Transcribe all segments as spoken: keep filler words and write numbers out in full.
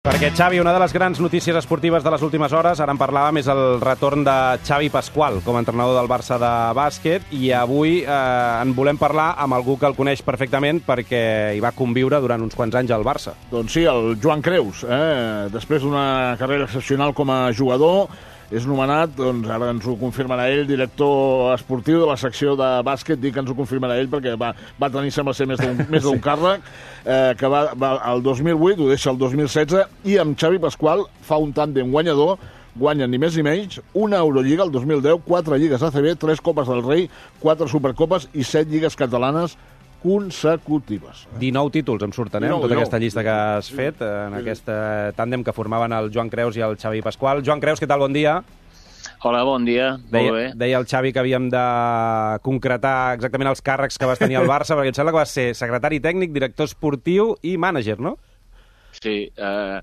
Perquè, Xavi, una de les grans notícies esportives de les últimes hores, ara en parlàvem, és el retorn de Xavi Pascual com a entrenador del Barça de bàsquet, i avui eh, en volem parlar amb algú que el coneix perfectament perquè hi va conviure durant uns quants anys al Barça. Doncs sí, el Joan Creus, eh? Després d'una carrera excepcional com a jugador, és nomenat, doncs ara ens ho confirmarà ell, director esportiu de la secció de bàsquet. Dic que ens ho confirmarà ell perquè va, va tenir, sembla ser, més d'un més d'un càrrec, eh, que va, va el dos mil vuit, ho deixa el dos mil setze, i amb Xavi Pascual fa un tàndem guanyador, guanya ni més ni menys una Eurolliga el dos mil deu, quatre lligues A C B, tres Copes del Rei, quatre Supercopes i set lligues catalanes consecutives. dinou títols em surten, eh, amb tota aquesta llista que has fet, en aquest tàndem que formaven el Joan Creus i el Xavi Pascual. Joan Creus, què tal? Bon dia. Hola, bon dia. Deia, Molt bé. deia el Xavi que havíem de concretar exactament els càrrecs que vas tenir al Barça, perquè em sembla que vas ser secretari tècnic, director esportiu i mànager, no? Sí, eh,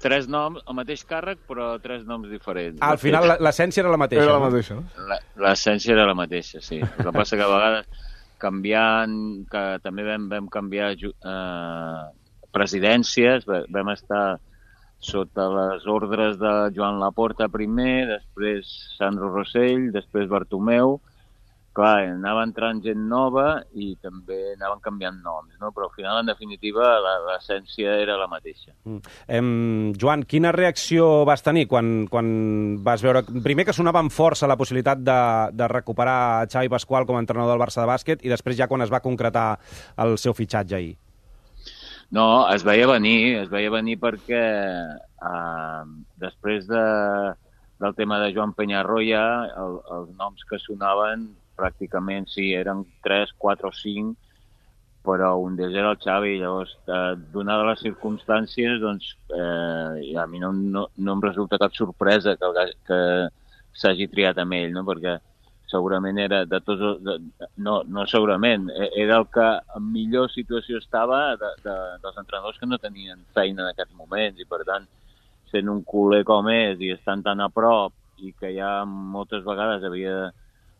tres noms, el mateix càrrec, però tres noms diferents. Ah, al final l'essència era la mateixa. Era la mateixa, no? La- L'essència era la mateixa, sí. El que passa que a vegades canviant, que també vam, vam canviar ju- eh, presidències, va- vam estar sota les ordres de Joan Laporta primer, després Sandro Rossell, després Bartomeu. Clar, anava entrant gent nova i també anaven canviant noms, no? Però al final, en definitiva, la- l'essència era la mateixa. Mm. Em, Joan, quina reacció vas tenir quan, quan vas veure... Primer que sonava amb força la possibilitat de, de recuperar Xavi Pascual com a entrenador del Barça de bàsquet, i després ja quan es va concretar el seu fitxatge ahir. No, es veia venir, es veia venir perquè eh, després de, del tema de Joan Peñarroya, el, els noms que sonaven pràcticament sí, eren tres, quatre o cinc, però un d'ells era el Xavi. Llavors, eh, donades les circumstàncies, doncs, eh, a mi no, no, no em resulta cap sorpresa que, el, que s'hagi triat amb ell, no? Perquè segurament era de tots... els- De, no, no segurament, era el que en millor situació estava de, de, dels entrenadors que no tenien feina en aquests moments, i per tant, sent un culer com és i estant tan a prop, i que ja moltes vegades havia,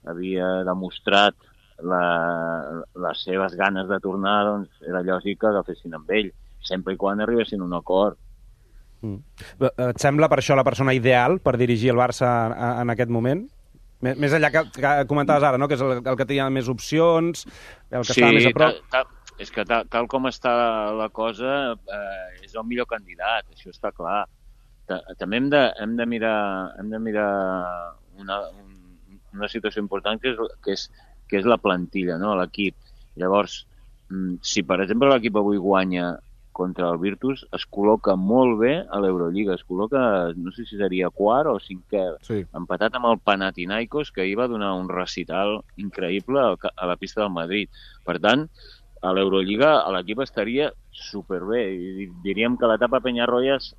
havia demostrat la, les seves ganes de tornar, doncs era lògic que agafessin amb ell, sempre i quan arribessin a un acord. Mm. Et sembla per això la persona ideal per dirigir el Barça en, en aquest moment? Més, més enllà que, que comentaves ara, no? Que és el, el que tenia més opcions, el que Sí, estava més a prop. tal, tal, és que tal, tal com està la cosa, eh, és el millor candidat, això està clar. Ta- També hem de, hem de mirar, hem de mirar una, un, una situació important, que és, que és, que és la plantilla, no? L'equip. Llavors, mm, si per exemple l'equip avui guanya contra el Virtus, es col·loca molt bé a l'Eurolliga, es col·loca, no sé si seria quart o cinquè, Sí. empatat amb el Panathinaikos, que ahir va donar un recital increïble al ca- a la pista del Madrid. Per tant, a l'Eurolliga l'equip estaria superbé, i diríem que l'etapa Peñarroya es,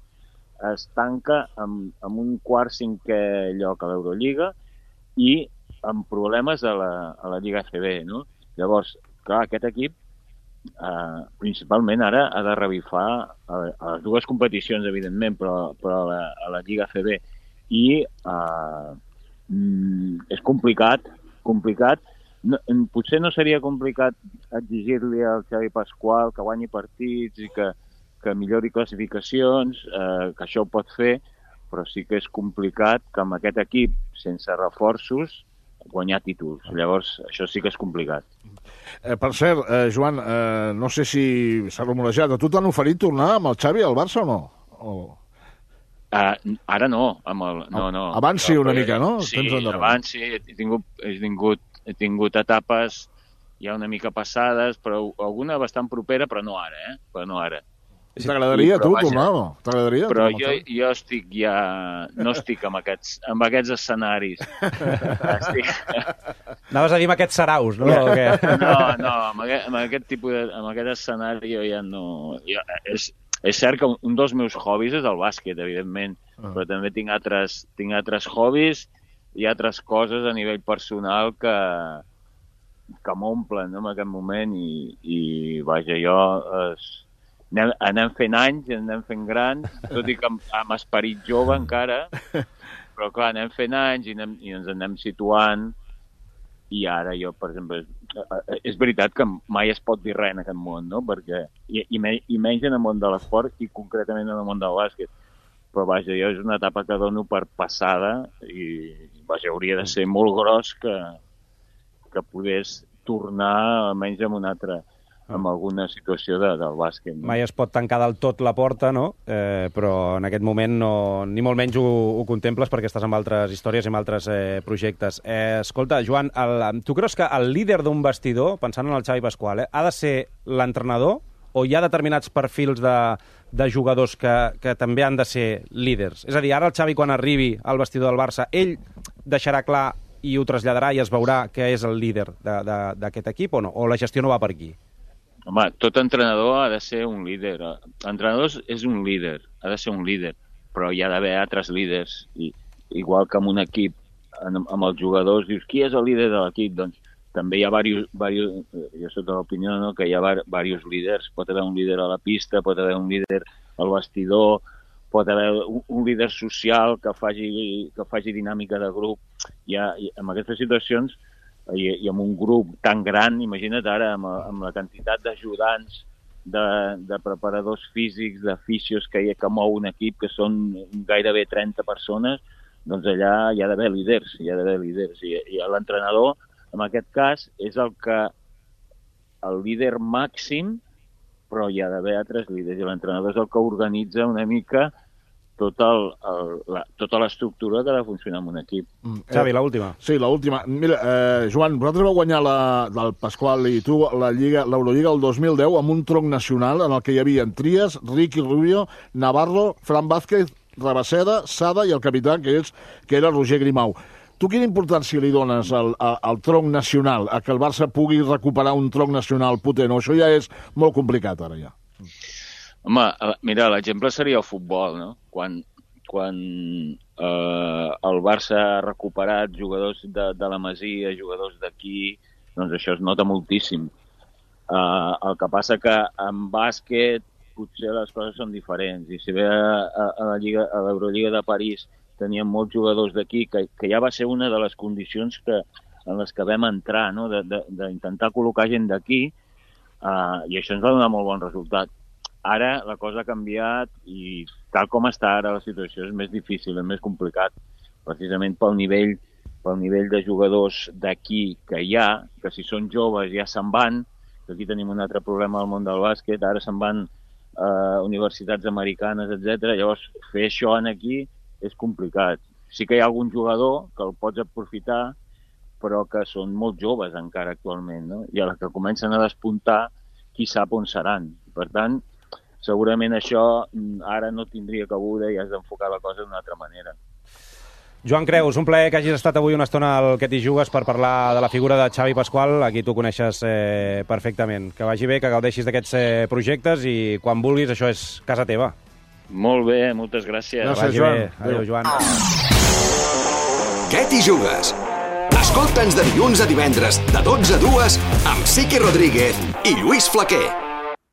es tanca amb, amb un quart cinquè lloc a l'Eurolliga i amb problemes a la, a la Lliga A C B, no? Llavors, clar, aquest equip Uh, principalment ara ha de revifar a, a les dues competicions, evidentment, però, però a, la, a la Lliga A C B, i uh, mm, és complicat, complicat. No, potser no seria complicat exigir-li al Xavi Pascual que guanyi partits i que, que millori classificacions, uh, que això ho pot fer, però sí que és complicat que amb aquest equip, sense reforços, guanyar títols. Llavors, això sí que és complicat. Eh, per cert, eh, Joan, eh, no sé si s'ha rumorejat. A tu t'han oferit tornar amb el Xavi al Barça o no? O... Uh, ara no, amb el, no, no. Abans sí, una Però, mica, no? Sí, Temps endarrere. abans sí, he tingut, he tingut, he tingut etapes ja una mica passades, però alguna bastant propera, però no ara, eh? Però no ara. T'agradaria, Sí, però tu, vaja. tornar o no? T'agradaria? Però tornar amb jo, el Xavi? jo estic ja... No estic amb aquests, amb aquests escenaris. Estic... Anaves a dir amb aquests saraus, no? O què? No, no, amb aquest, amb aquest tipus de... amb aquest escenari jo ja no... Jo, és, és cert que un dels meus hobbies és el bàsquet, evidentment, Ah. però també tinc altres, tinc altres hobbies i altres coses a nivell personal que, que m'omplen, no?, en aquest moment, i, i vaja, jo... Es, anem, anem fent anys, anem fent grans, tot i que amb, amb esperit jove encara, però clar, anem fent anys i, anem, i ens anem situant i ara jo, per exemple, és veritat que mai es pot dir res en aquest món, no? Perquè, i, i, me, i menys en el món de l'esport i concretament en el món del bàsquet. Però vaja, jo és una etapa que dono per passada i vaja, hauria de ser molt gros que, que pogués tornar almenys amb una altra, amb alguna situació de, del bàsquet. No? Mai es pot tancar del tot la porta, no? Eh, però en aquest moment no, ni molt menys ho, ho contemples perquè estàs amb altres històries i amb altres eh, projectes. Eh, escolta, Joan, el, tu creus que el líder d'un vestidor, pensant en el Xavi Pasqual, eh, ha de ser l'entrenador o hi ha determinats perfils de, de jugadors que, que també han de ser líders? És a dir, ara el Xavi, quan arribi al vestidor del Barça, ell deixarà clar i ho traslladarà i es veurà que és el líder d'aquest equip o no? O la gestió no va per aquí? Home, tot entrenador ha de ser un líder. L'entrenador és un líder, ha de ser un líder, però hi ha d'haver altres líders. I, igual que en un equip, en, amb els jugadors, dius, qui és el líder de l'equip? Doncs també hi ha diversos, diversos jo soc de l'opinió, no?, que hi ha diversos líders. Pot haver un líder a la pista, pot haver un líder al vestidor, pot haver un, un líder social que faci, que faci dinàmica de grup. I, ha, i en aquestes situacions, I, i amb un grup tan gran, imagina't ara, amb, amb la quantitat d'ajudants, de, de preparadors físics, de fisios que, que mou un equip, que són gairebé trenta persones, doncs allà hi ha d'haver líders, hi ha d'haver líders. I, i l'entrenador, en aquest cas, és el que el líder màxim, però hi ha d'haver altres líders. I l'entrenador és el que organitza una mica tot el, el, la, tota l'estructura que ha de funcionar en un equip. Mm. Xavi, l'última. Sí, l'última. Mira, eh, Joan, vosaltres vau guanyar la, del Pasqual i tu la Lliga, l'Eurolliga el dos mil deu amb un tronc nacional en el que hi havia Trias, Ricky Rubio, Navarro, Fran Vázquez, Rabaseda, Sada i el capità, que, és, que era Roger Grimau. Tu quina importància li dones al, al, al tronc nacional, a que el Barça pugui recuperar un tronc nacional potent? O això ja és molt complicat ara ja? Home, mira, l'exemple seria el futbol, no? Quan, quan eh, el Barça ha recuperat jugadors de, de la Masia, jugadors d'aquí, doncs això es nota moltíssim. Eh, el que passa que en bàsquet potser les coses són diferents. I si bé a, a la Lliga, a l'Eurolliga de París teníem molts jugadors d'aquí, que, que ja va ser una de les condicions que, en les que vam entrar, no? D'intentar col·locar gent d'aquí, eh, i això ens va donar molt bon resultat. Ara la cosa ha canviat i tal com està ara la situació és més difícil, és més complicat, precisament pel nivell, pel nivell de jugadors d'aquí que hi ha, que si són joves ja se'n van, que aquí tenim un altre problema al món del bàsquet, ara se'n van a universitats americanes, etcètera. Llavors, fer això en aquí és complicat. Sí que hi ha algun jugador que el pots aprofitar, però que són molt joves encara actualment, no? I a la que comencen a despuntar, qui sap on seran. Per tant, segurament això ara no tindria cabuda i has d'enfocar la cosa d'una altra manera. Joan Creus, un plaer que hagis estat avui una estona al Que t'hi jugues per parlar de la figura de Xavi Pasqual, a qui tu coneixes eh, perfectament. Que vagi bé, que gaudeixis d'aquests eh, projectes i quan vulguis això és casa teva. Molt bé, moltes gràcies. Gràcies, Joan. Adéu, Joan. Que t'hi jugues? Escolta'ns de dilluns a divendres, de dotze a dues, amb Sique Rodríguez i Lluís Flaquer.